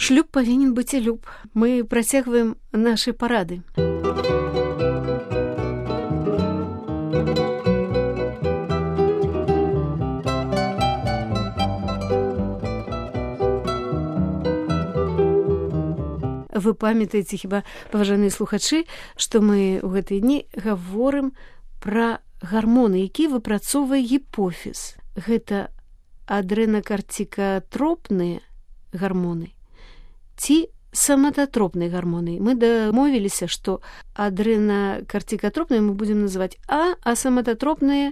Шлюб павінен быць і люб. Мы працягваем нашы парады. Вы памятаеце, хіба, паважаныя слухачы, што мы ў гэтыя дні гаворым пра гармоны, які выпрацоўвае гіпофіз. Гэта адрэнакарцікатропныя гармоны ці самататропныя гармоны. Мы дамовіліся, што адрэнакарцікатропныя мы будзем называць А самататропныя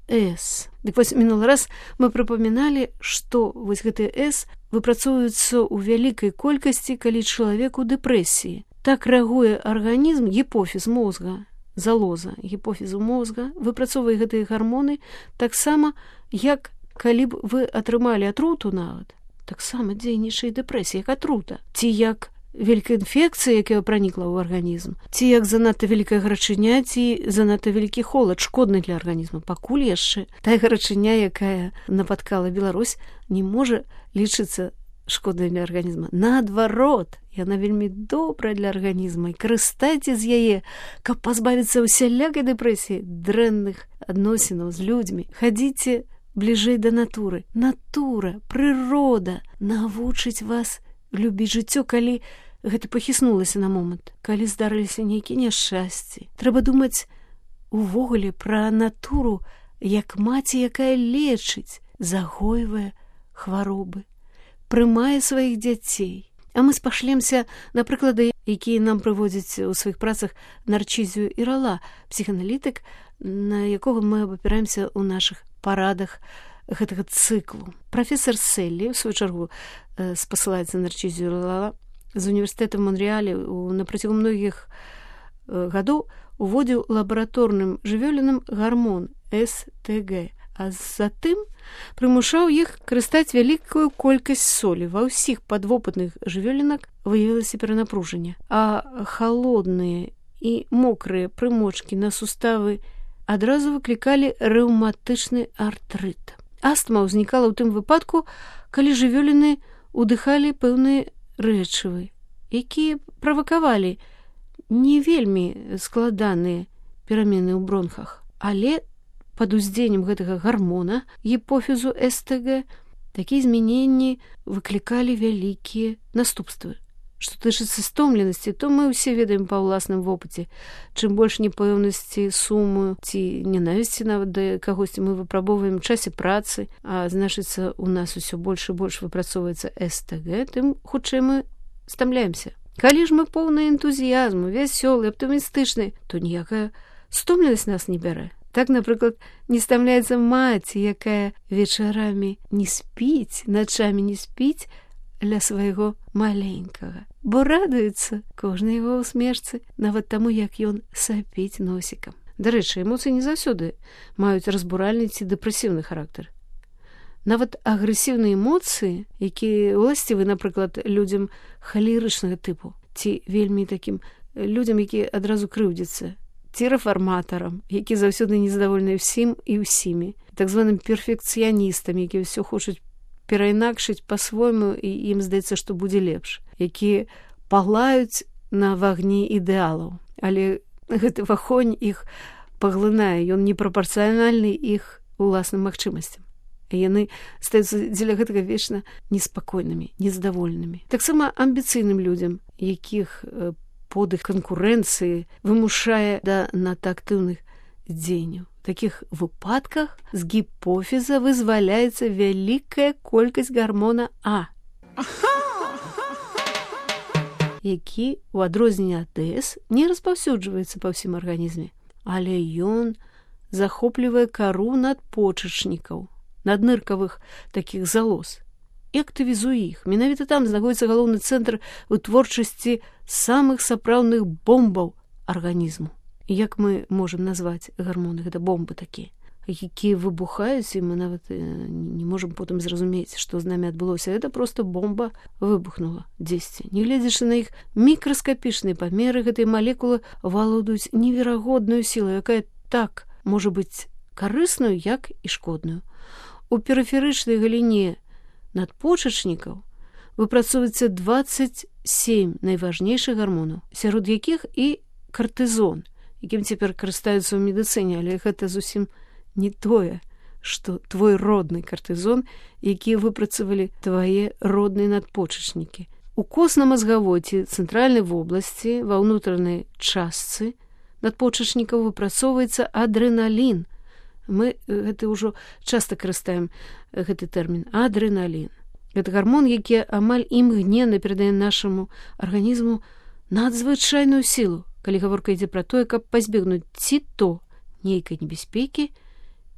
С. Дык вось мінулы раз мы прыпаміналі, што вось гэтыя С выпрацоўваюцца ў вялікай колькасці, калі чалавек у дэпрэсіі. Так рэагуе арганізм, гіпофіз мозга, залоза гіпофізу мозга, выпрацоўвае гэтыя гармоны таксама, як калі б вы атрымалі атруту нават, таксама дзейнічае дэпрэсія, як атрута, ці як вялікая інфекцыя, якая пранікла ў арганізм, ці як занадта вялікая гарачыня, ці занадта вялікі холад, шкодны для арганізму. Пакуль яшчэ тая гарачыня, якая напаткала Беларусь, не можа лічыцца шкоднай для арганізма. Наадварот, яна вельмі добрая для арганізма, і карыстайце з яе, каб пазбавіцца усялякай дэпрэсіі, дрэнных адносінаў з людзьмі. Хадзіце бліжэй да натуры. Натура, прырода навучыць вас любіць жыццё, калі гэта пахіснулася на момант, калі здарыліся нейкія няшчасці. Трэба думаць увогуле пра натуру, як маці, якая лечыць, загойвае хваробы, прымае сваіх дзяцей. А мы спашлемся на прыклады, якія нам прыводзяць у сваіх працах Нарчызію Ірала, псіханалітык, на якога мы абапіраемся ў нашых парадах гэтага цыклу. Прафесор Селлі, у сваю чаргу, спасылаецца на Нарчызію Ірала, з універсітэта Монреалі на працягу многіх гадоў уводзіў лабараторным жывёлінам гармон СТГ, а затым прымушаў іх карыстаць вялікую колькасць солі. Ва ўсіх падвопытных жывёлінак выявілася перанапружанне, а халодныя і мокрыя прымочкі на суставы адразу выклікалі рэўматычны артрыт. Астма ўзнікала ў тым выпадку, калі жывёліны удыхалі пэўныя рэчывы, якія правакавалі не вельмі складаныя перамены ў бронхах, але пад уздзеяннем гэтага гармона гіпофізу СТГ такія змяненні выклікалі вялікія наступствы. Што тычыцца стомленасці, то мы ўсе ведаем па ўласным вопыце. Чым больш непэўнасці, суму ці ненавісці нават да кагосьці мы выпрабоўваем у часе працы, а значыцца, у нас усё больш і больш выпрацоўваецца СТГ, тым хутчэй мы стамляемся. Калі ж мы поўныя энтузіязму, вясёлыя, аптымістычныя, то ніякая стомленасць нас не бярэ. Так, напрыклад, не стамляецца маці, якая вечарамі не спіць, начамі не спіць ля свайго маленькага, бо радуецца кожнай яго усмешцы, нават таму, як ён сапіць носікам. Дарэчы, эмоцыі не заўсёды маюць разбуральны ці дэпрэсіўны характар. Нават агрэсіўныя эмоцыі, якія ўласцівы, напрыклад, людзям халерычнага тыпу, ці вельмі такім людзям, якія адразу крыўдзяцца, ці рэфарматарам, які заўсёды незадаволеныя ўсім і ўсімі, так званым перфекцыяністам, якія ўсё хочуць перайнакшыць па-свойму, і ім здаецца, што будзе лепш, якія палаюць на вагні ідэалаў, але гэты вагонь іх паглынае, ён непрапарцыянальны іх уласным магчымасцям. Яны стаюцца дзеля гэтага вечна неспакойнымі, незадаволенымі. Таксама амбіцыйным людзям, якіх подых канкурэнцыі вымушае да надта актыўных дзеянняў. В такіх выпадках з гіпофіза вызваляецца вялікая колькасць гармона А, які, у адрозненне ад С, не распаўсюджваецца па ўсім арганізме, але ён захоплівае кару надпочачнікаў, надныркавых такіх залоз, і актывізуе іх. Менавіта там знаходзіцца галоўны цэнтр вытворчасці самых сапраўдных бомбаў арганізму. Як мы можам назваць гармоны? Гэта бомбы такія, якія выбухаюць, і мы нават не можам потым зразумець, што з намі адбылося. Гэта проста бомба выбухнула дзесьці. Не гледзячы на іх мікраскапічныя памеры, гэтыя малекулы валодаюць неверагодную сілу, якая так можа быць карысную, як і шкодную. У перыферычнай галіне надпочачнікаў выпрацоўваецца 27 найважнейшых гармонаў, сярод якіх і картызон, якім цяпер карыстаюцца ў медыцыне, але гэта зусім не тое, што твой родны картызон, які выпрацавалі твае родныя надпочачнікі. У костна-мазгавой ці цэнтральнай вобласці ва ўнутранай частцы надпочачнікаў выпрацоўваецца адрэналін. Мы гэта ўжо часта карыстаем гэты тэрмін адрэналін. Гэта гармон, які амаль імгненна перадае нашаму арганізму надзвычайную сілу, калі гаворка ідзе пра тое, каб пазбегнуць ці то нейкай небяспекі,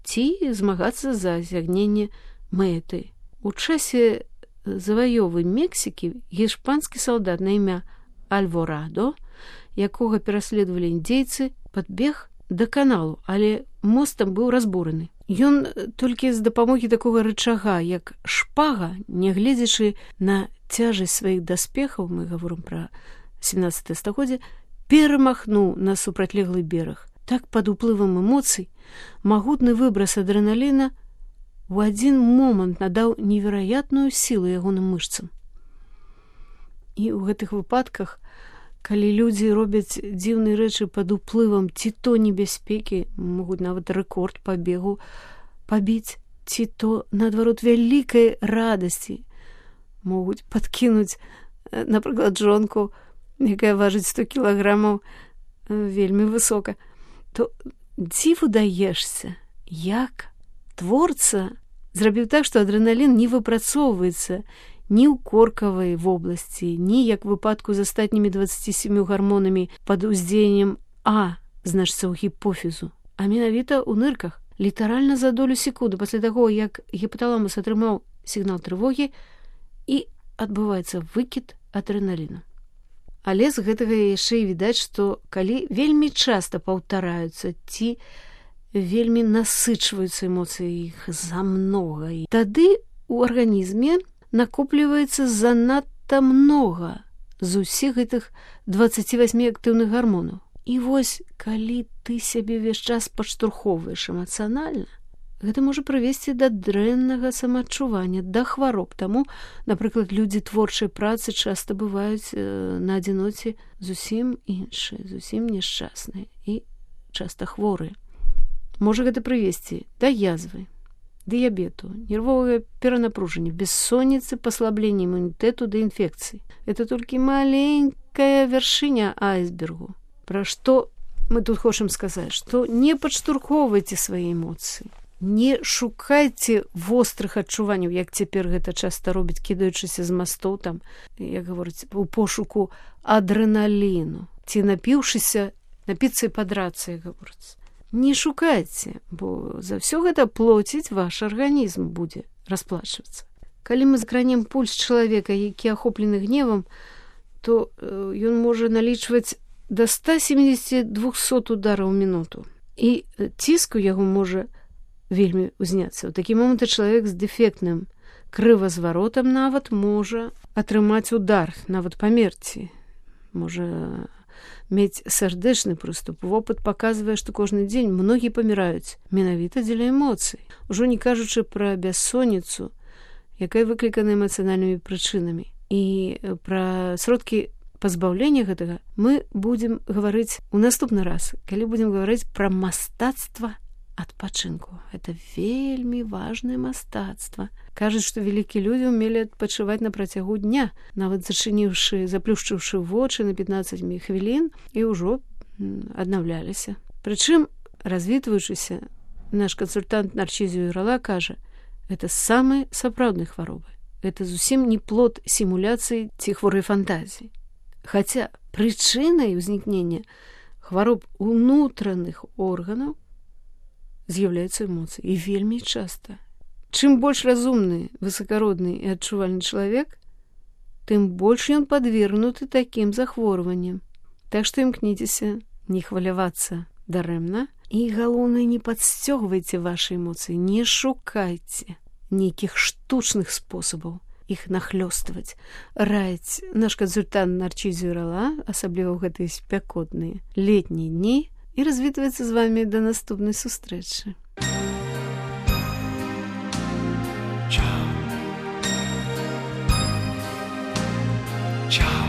ці змагацца за асягненне мэты. У часе заваёвы Мексікі гішпанскі салдат на імя Альворадо, якога пераследавалі індзейцы, падбег да каналу, але мост там быў разбураны. Ён толькі з дапамогі такога рычага, як шпага, нягледзячы на цяжасць сваіх даспехаў, мы гаворым пра 17 стагоддзе, перамахнуў на супрацьлеглы бераг. Так пад уплывам эмоцый магутны выбрас адрэналіна у адзін момант надаў невераятную сілу ягоным мышцам. І ў гэтых выпадках, калі людзі робяць дзіўныя рэчы пад уплывам ці то небяспекі, могуць нават рэкорд па бегу пабіць, ці то, наадварот, вялікай радасці, могуць падкінуць, напрыклад, жонку, якая важыць 100 кілаграмаў, вельмі высока, то дзіву даешся, як творца зрабіў так, што адрэналін не выпрацоўваецца ні ў коркавай вобласці, ні, як выпадку з астатнімі 27 гармонамі пад уздзеяннем А, значыцца ў гіпофізу, а менавіта ў нырках. Літаральна за долю секунды пасля таго, як гіпаталамус атрымаў сігнал трывогі, і адбываецца выкід адрэналіну. Але з гэтага яшчэ і відаць, што калі вельмі часта паўтараюцца ці вельмі насычваюцца эмоцыі, іх замнога, тады ў арганізме накопліваецца занадта многа з усіх гэтых 28 актыўных гармонаў. І вось, калі ты сябе ўвесь час падштурхоўваеш эмацыянальна, гэта можа прывесці да дрэннага самаадчування, да хвароб. Таму, напрыклад, людзі творчай працы часта бываюць на адзіноце зусім іншыя, зусім няшчасныя і часта хворыя. Можа гэта прывесці да язвы, дыябету, нервовага перанапружання, бессонніцы, паслаблення імунітэту да інфекцый. Это толькі маленькая вяршыня айсбергу. Пра што мы тут хочам сказаць, што не падштурхоўвайце свае эмоцыі, не шукайце вострых адчуванняў, як цяпер гэта часта робіць, кідаючыся з мастоў там, як гаворыць, у пошуку адрэналіну, ці напіўшыся, напіцца і падрацца, як гаворыць. Не шукайце, бо за ўсё гэта плоціць ваш арганізм будзе расплачвацца. Калі мы закранем пульс чалавека, які ахоплены гневам, то ён можа налічваць да 170-200 удараў у мінуту. І ціск у яго можа вельмі ўзняцца. У такі момант чалавек з дэфектным крывазваротам нават можа атрымаць удар, нават памерці. Можа мець сардэчны прыступ. Вопыт паказвае, што кожны дзень многія паміраюць менавіта дзеля эмоцый. Ужо не кажучы пра бяссонніцу, якая выклікана эмацыянальнымі прычынамі. І пра сродкі пазбаўлення гэтага мы будзем гаварыць у наступны раз, калі будзем гаварыць пра мастацтва адпачынку. Это вельмі важнае мастацтва. Кажуць, што вялікія людзі ўмелі адпачываць на працягу дня, нават заплюшчыўшы вочы на 15 хвілін, і ўжо аднаўляліся. Прычым, развітваючыся, наш кансультант Нарчізіо Ірала кажа, гэта самыя сапраўдныя хваробы. Гэта зусім не плод сімуляцыі ці хворай фантазіі. Хаця прычынай узнікнення хвароб унутраных органаў з'яўляюцца эмоцыі. І вельмі часта. Чым больш разумны, высакародны і адчувальны чалавек, тым больш ён падвергнуты такім захворванням. Так што імкніцеся не хвалявацца дарэмна. І галоўнае, не падсцёгвайце вашы эмоцыі, не шукайце нейкіх штучных спосабаў іх нахлёстваць. Раіць наш кансультант Нарчізіо Ірала, асабліва ў гэтыя спякотныя летнія дні, і развітваецца з вамі да наступнай сустрэчы. Ciao.